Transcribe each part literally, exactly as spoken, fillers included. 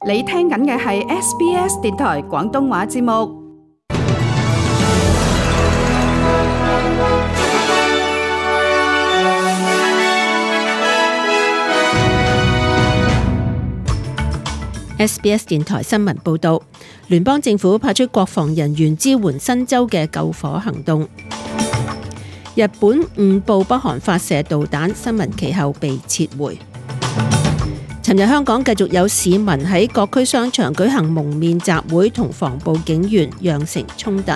你聽緊嘅係 S B S 電台廣東話節目。S B S 電台新聞報道，聯邦政府派出國防人員支援新州嘅救火行動。日本誤報北韓發射導彈，新聞其後被撤回。尋日香港繼續有市民喺各區商場舉行蒙面集會，同防暴警員釀成衝突。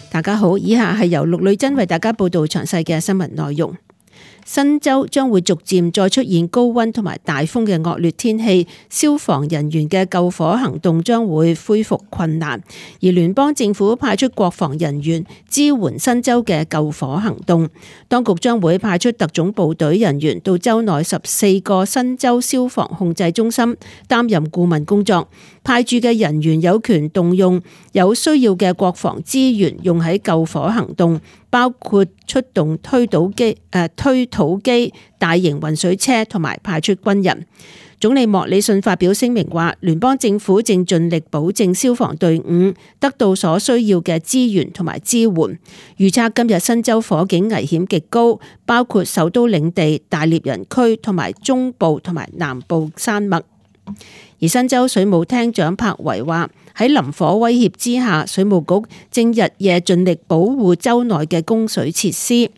大家好，以下係由陸女真為大家報道詳細嘅新聞內容。新州將會逐漸再出現高溫同埋大風嘅惡劣天氣，消防人員嘅救火行動將會恢復困難，而聯邦政府派出國防人員支援新州嘅救火行動。當局將會派出特種部隊人員到州內十四個新州消防控制中心擔任顧問工作，派駐嘅人員有權動用有需要嘅國防資源用喺救火行動，包括出動推土機、誒推土機、大型運水車同埋派出軍人。總理莫里遜發表聲明話，聯邦政府正盡力保證消防隊伍得到所需要嘅資源同埋支援。預測今日新州火警危險極高，包括首都領地、大獵人區同埋中部同埋南部山脈。而新州水務廳長柏維話，喺林火威脅之下，水務局正日夜盡力保護州內嘅供水設施。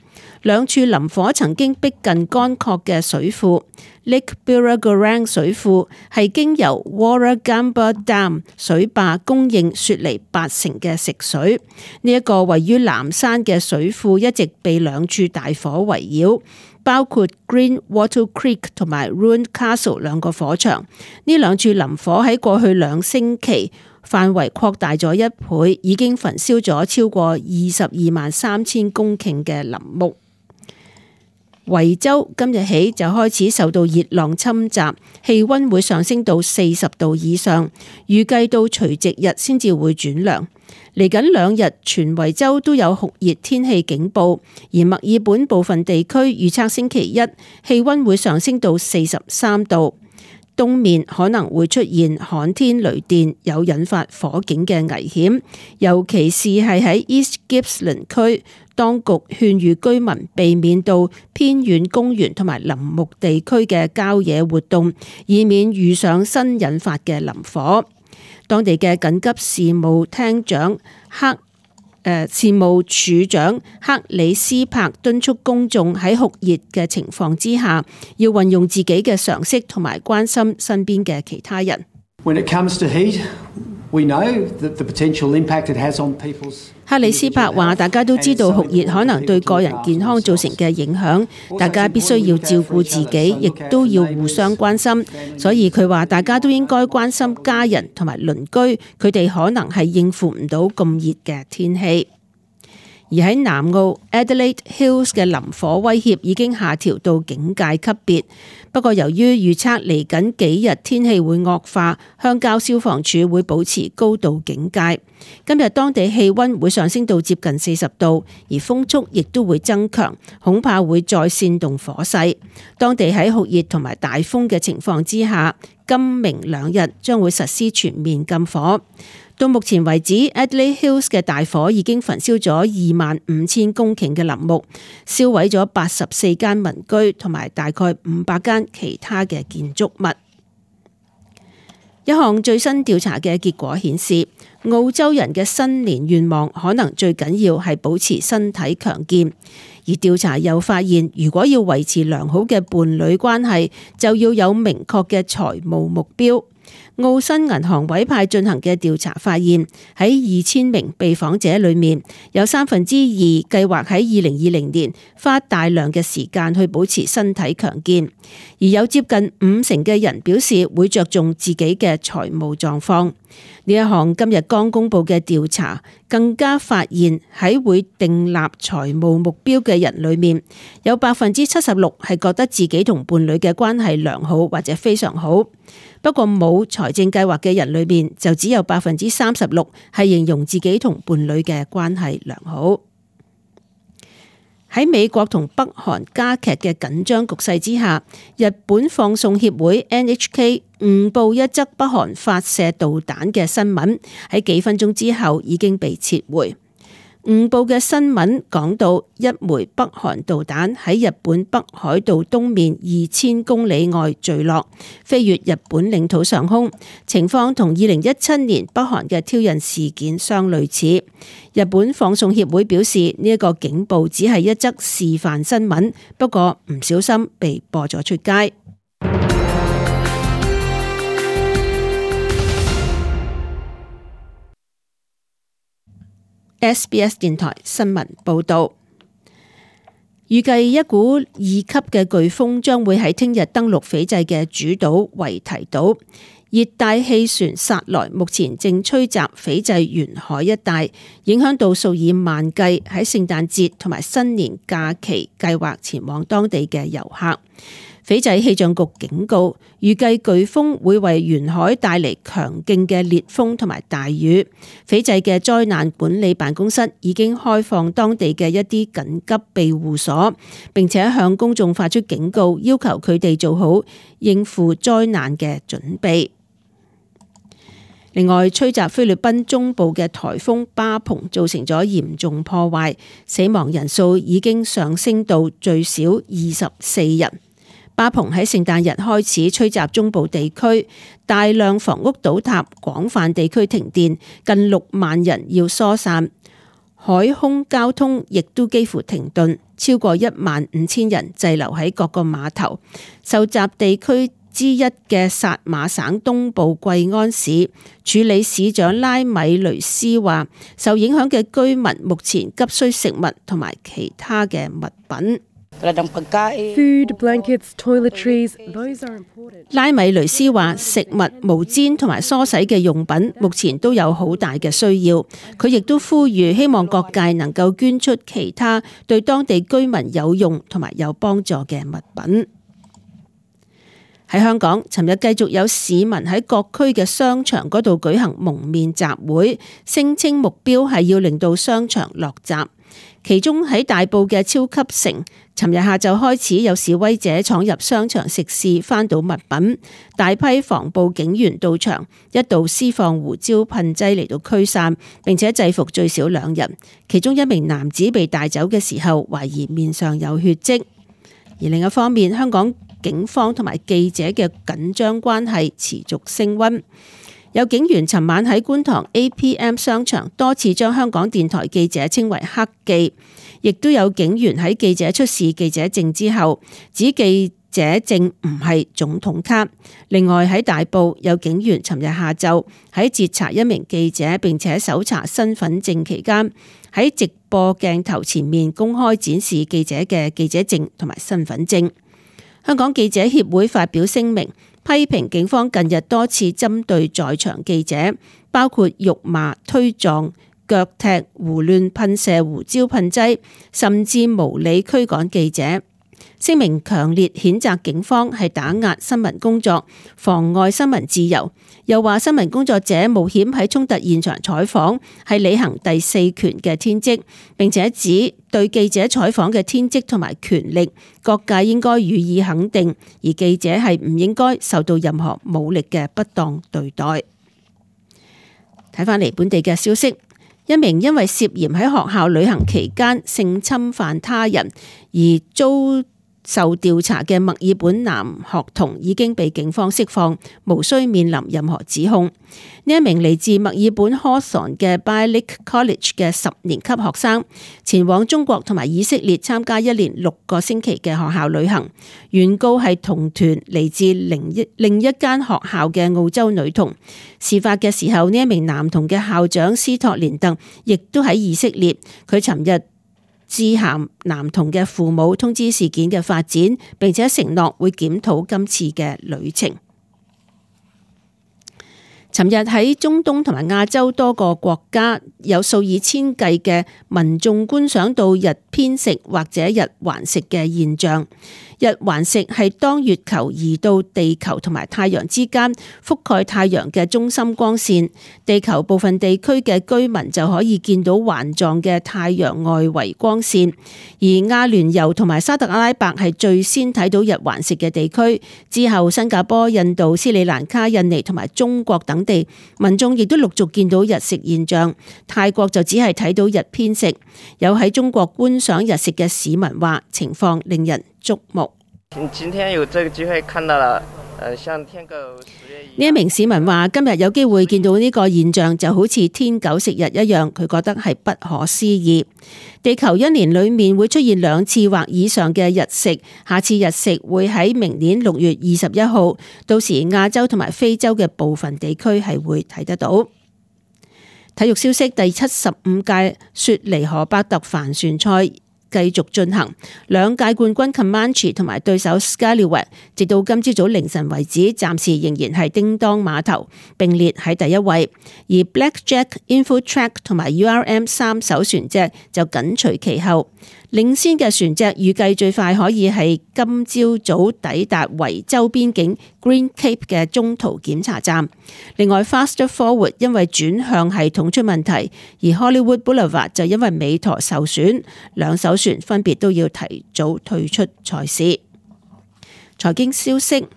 兩處林火曾經逼近乾涸嘅水庫 Lake Birragorang 水庫係經由 Warragamba Dam 水壩供應雪梨八成嘅食水。呢、這、一個位於南山嘅水庫一直被兩處大火圍繞，包括 Green Wattle Creek 同埋 Ruined Castle 兩個火場。呢兩處林火喺過去兩星期範圍擴大咗一倍，已經焚燒咗超過二十二萬三千公頃嘅林木。維州今日起就開始受到熱浪侵襲，氣溫會上升到四十度以上，預計到除夕日先至會轉涼。嚟緊兩日，全維州都有酷熱天氣警報，而墨爾本部分地區預測星期一氣溫會上升到四十三度。東面可能會出現旱天雷電，有引發火警嘅危險，尤其是係喺 East Gippsland 區，當局勸喻居民避免到偏遠公園同埋林木地區嘅郊野活動，以免遇上新引發嘅林火。當地嘅緊急事務廳長克誒、呃、事務處長克里斯柏敦促公眾喺酷熱嘅情況之下，要運用自己嘅常識同埋關心身邊嘅其他人。When it comes to heat, we know that the potential impact it has on people's。克里斯柏話：大家都知道酷熱可能對個人健康造成嘅影響，大家必須要照顧自己，亦都要互相關心。所以佢話大家都應該關心家人同埋鄰居，佢哋可能係應付唔到咁熱嘅天氣。而喺南澳 Adelaide Hills 嘅林火威脅已經下調到警戒級別，不過由於預測嚟緊幾日天氣會惡化，鄉郊消防處會保持高度警戒。今日當地氣溫會上升到接近四十度，而風速亦都會增強，恐怕會再煽動火勢。當地喺酷熱同埋大風嘅情況之下，今明兩日將會實施全面禁火。到目前為止 Adelaide Hills 嘅大火已經焚燒咗二萬五千公頃嘅林木，燒毀咗八十四間民居同埋大概五百間其他嘅建築物。一項最新調查嘅結果顯示，澳洲人嘅新年願望可能最緊要係保持身體強健。而調查又發現，如果要維持良好嘅伴侶關係，就要有明確嘅財務目標。澳新銀行委派進行嘅調查發現，喺二千名被訪者裏面，有三分之二計劃喺二零二零年花大量嘅時間去保持身體強健，而有接近五成嘅人表示會着重自己嘅財務狀況。呢一項今日剛公布嘅調查更加發現，喺會訂立財務目標嘅人裏面，有百分之七十六係覺得自己同伴侶嘅關係良好或者非常好。不過冇財政計劃嘅人裏面，就只有百分之三十六係形容自己同伴侶嘅關係良好。喺美國同北韓加劇嘅緊張局勢之下，日本放送協會 N H K 誤報一則北韓發射導彈嘅新聞，喺幾分鐘之後已經被撤回。誤報嘅新聞講到一枚北韓導彈喺日本北海道東面二千公里外墜落，飛越日本領土上空，情況同二零一七年北韓嘅挑釁事件相類似。日本放送協會表示，呢一個警報只係一則示範新聞，不過唔小心被播咗出街。S B S 電台新聞報道，預計一股二級嘅颶風將會喺聽日登陸斐濟嘅主島維提島。熱帶氣旋薩萊目前正吹襲斐濟沿海一帶，影響到數以萬計喺聖誕節同埋新年假期計劃前往當地嘅遊客。斐濟氣象局警告，預計颶風會為沿海帶嚟強勁嘅烈風同埋大雨。斐濟嘅災難管理辦公室已經開放當地嘅一啲緊急庇護所，並且向公眾發出警告，要求佢哋做好應付災難嘅準備。另外，吹襲菲律賓中部嘅颱風巴蓬造成咗嚴重破壞，死亡人數已經上升到最少二十四人。巴蓬喺聖誕日開始吹襲中部地區，大量房屋倒塌，廣泛地區停電，近六萬人要疏散，海空交通亦都幾乎停頓，超過一萬五千人滯留喺各個碼頭。受襲地區之一嘅薩馬省東部貴安市處理市長拉米雷斯話，受影響嘅居民目前急需食物同埋其他嘅物品。Food, blankets, toiletries, those are important. 拉米雷斯話，食物、毛氈同埋梳洗嘅用品目前都有好大嘅需要。佢亦都呼籲希望各界能夠捐出其他對當地居民有用同埋有幫助嘅物品。喺香港，尋日繼續有市民喺各區嘅商場嗰度舉行蒙面集會，聲稱目標係要令到商場落閘。其中喺大埔嘅超級城，尋日下晝開始有示威者闖入商場食肆，翻倒物品，大批防暴警員到場，一度施放胡椒噴劑嚟到驅散，並且制服最少兩人。其中一名男子被帶走嘅時候，懷疑面上有血跡。而另一方面，香港警方同埋記者嘅緊張關係持續升溫。有警員尋晚喺觀塘 A P M 商場多次將香港電台記者稱為黑記，亦都有警員喺記者出示記者證之後指記者證唔係總統卡。另外喺大埔有警員尋日下晝喺截查一名記者並且搜查身份證期間，喺直播鏡頭前面公開展示記者嘅記者證同埋身份證。香港記者協會發表聲明，批評警方近日多次針對在場記者，包括辱罵、推撞、腳踢、胡亂噴射胡椒噴劑，甚至無理驅趕記者。聲明強烈譴責警方係打壓新聞工作，妨礙新聞自由，又話新聞工作者冒險喺衝突現場採訪係履行第四權嘅天職，並且指對記者採訪嘅天職同埋權力，各界應該予以肯定，而記者係唔應該受到任何武力嘅不當對待。睇返嚟本地嘅消息，一名因為涉嫌喺學校旅行期間性侵犯他人而遭受調查嘅墨爾本男學童已經被警方釋放，無需面臨任何指控。呢一名嚟自墨爾本 Hawthorn 嘅 Bailick College 嘅十年級學生，前往中國同埋以色列參加一連六個星期嘅學校旅行，原告係同團嚟自另一另一間學校嘅澳洲女童。事發嘅時候，呢一名男童嘅校長斯托連特亦都喺以色列，佢尋日致函男童嘅父母通知事件嘅發展，並且承諾會檢討今次嘅旅程。尋日喺中東同埋亞洲多個國家，有數以千計嘅民眾觀賞到日偏食或者日環食嘅現象。日環食係當月球移到地球同埋太陽之間，覆蓋太陽嘅中心光線，地球部分地區嘅居民就可以見到環狀嘅太陽外圍光線。而阿聯酋同埋沙特阿拉伯係最先睇到日環食嘅地區，之後新加坡、印度、斯里蘭卡、印尼同埋中國等地民眾亦都陸續見到日食現象。泰國就只係睇到日偏食。有喺中國觀賞日食嘅市民話，情況令人矚目。今天有這個機會看到了，呃，像天狗食月呢一名市民話，今日有機會見到呢個現象，就好似天狗食日一樣，佢覺得係不可思議。地球一年裏面會出現兩次或以上嘅日食，下次日食會喺明年六月二十一號，到時亞洲同埋非洲嘅部分地區係會睇得到。體育消息，第七十五屆雪梨荷伯特帆船賽繼續進行，兩屆冠軍 Comanche 同埋對手 Scallywag 直到今朝早凌晨為止，暫時仍然係叮當碼頭並列喺第一位，而 Blackjack、Infotrack 同埋 U R M 三艘船隻就緊隨其後。領先嘅船隻預計最快可以係今朝早抵達維州邊境 Green Cape 嘅中途檢查站。另外 Faster Forward 因為轉向系統出問題，而 Hollywood Boulevard 就因為尾舵受損，兩艘船分別都要提早退出賽事。財經消息，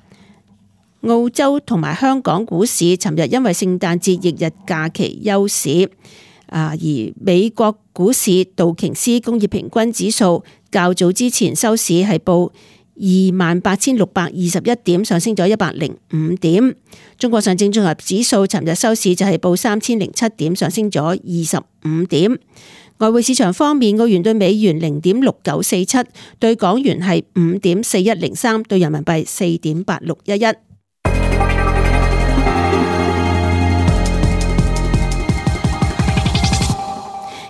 澳洲同埋香港股市尋日因為聖誕節翌日假期休市。啊！而美國股市道瓊斯工業平均指數較早之前收市係報二萬八千六百二十一點，上升咗一百零五點。中國上證綜合指數尋日收市就係報三千零七點，上升咗二十五點。外匯市場方面，澳元對美元零點六九四七，對港元係五點四一零三，對人民幣四點八六一一。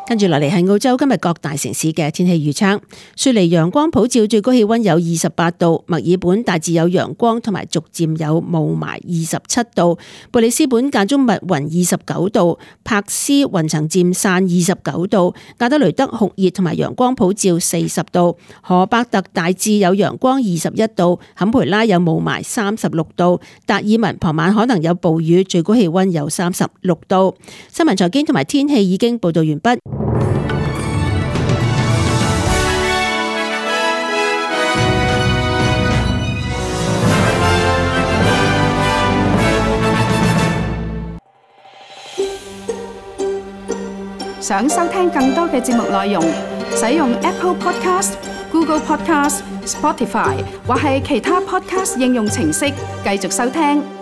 跟住落嚟係澳洲今日各大城市嘅天氣預測。雪梨陽光普照，最高氣溫有二十八度；墨爾本大致有陽光同埋逐漸有霧霾，二十七度；布里斯本間中密雲，二十九度；柏斯雲層漸散，二十九度；亞德雷德酷熱同埋陽光普照，四十度；荷伯特大致有陽光，二十一度；坎培拉有霧霾，三十六度；達爾文傍晚可能有暴雨，最高氣溫有三十六度。新聞財經同埋天氣已經報道完畢。想收聽更多嘅節目內容，使用 Apple Podcast、Google Podcast、Spotify 或係其他 Podcast 應用程式繼續收聽。